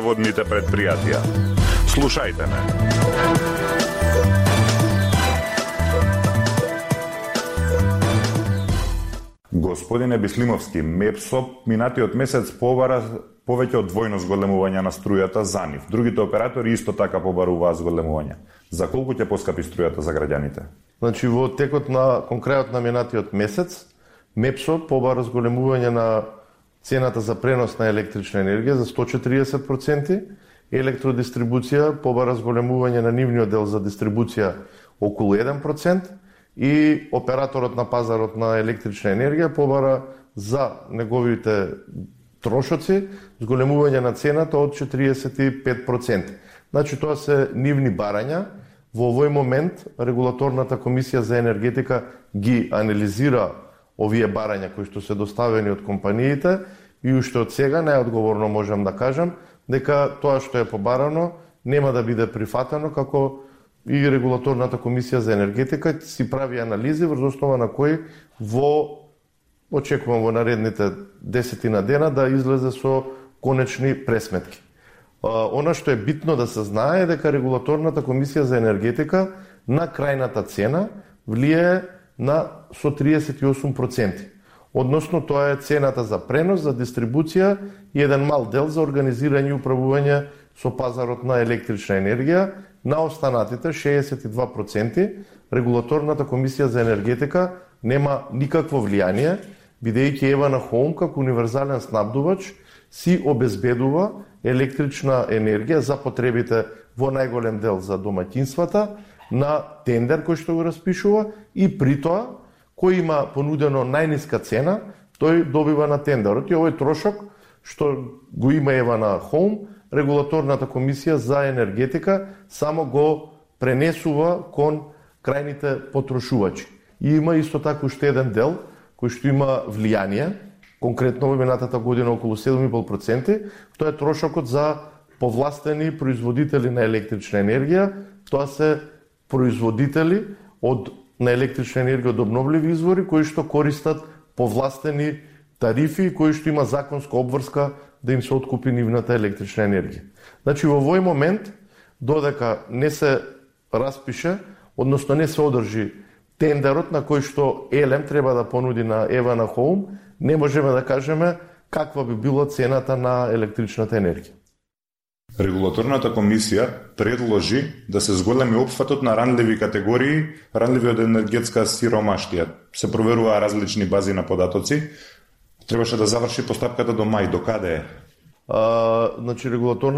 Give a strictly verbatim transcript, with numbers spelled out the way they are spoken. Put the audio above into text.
водните предпријатија. Слушајте ме. Господине Бислимовски, МЕПСО минатиот месец побара повеќе од двојно зголемување на струјата за нив. Другите оператори исто така побаруваат зголемување. За колку ќе поскапи струјата за граѓаните? Значи во текот на конкретно на минатиот месец МЕПСО побара зголемување на цената за пренос на електрична енергија за сто четиридесет проценти, електродистрибуција побара зголемување на нивниот дел за дистрибуција околу еден процент и операторот на пазарот на електрична енергија побара за неговите трошоци зголемување на цената од четиридесет и пет проценти. Значи тоа се нивни барања. Во овој момент Регулаторната комисија за енергетика ги анализира овие барања кои што се доставени од компаниите и уште од сега најодговорно можам да кажам дека тоа што е побарано нема да биде прифатено, како и Регулаторната комисија за енергетика си прави анализи врз основа на кои во очекувам во наредните десетина дена да излезе со конечни пресметки. Она што е битно да се знае е дека Регулаторната комисија за енергетика на крајната цена влијае на со триесет и осум проценти. Односно тоа е цената за пренос, за дистрибуција и еден мал дел за организирање и управување со пазарот на електрична енергија. На останатите шеесет и два проценти Регулаторната комисија за енергетика нема никакво влијание, бидејќи Евана Хоум како универзален снабдувач си обезбедува електрична енергија за потребите во најголем дел за домаќинствата на тендер кој што го распишува и при тоа кој има понудено најниска цена, тој добива на тендерот. И овој трошок што го има Евана Хоум, Регулаторната комисија за енергетика само го пренесува кон крајните потрошувачи. И има исто така уште еден дел кој што има влијание, конкретно во минатата година околу седум и пол проценти, тоа е трошокот за повластени производители на електрична енергија. Тоа се производители од на електрична енергија од обновливи извори кои што користат повластени тарифи, кои што има законска обврска да им се откупи нивната електрична енергија. Значи во овој момент додека не се распише, односно не се одржи тендерот на кој што Елем треба да понуди на Евана Хоум, не можеме да кажеме каква би била цената на електричната енергија. Регулаторната комисија предложи да се зголеми опфатот на ранливи категории, ранливи од енергетска сиромаштија. Се проверуваа различни бази на податоци. Требаше да заврши постапката до мај. До каде е? А, значи, регулаторна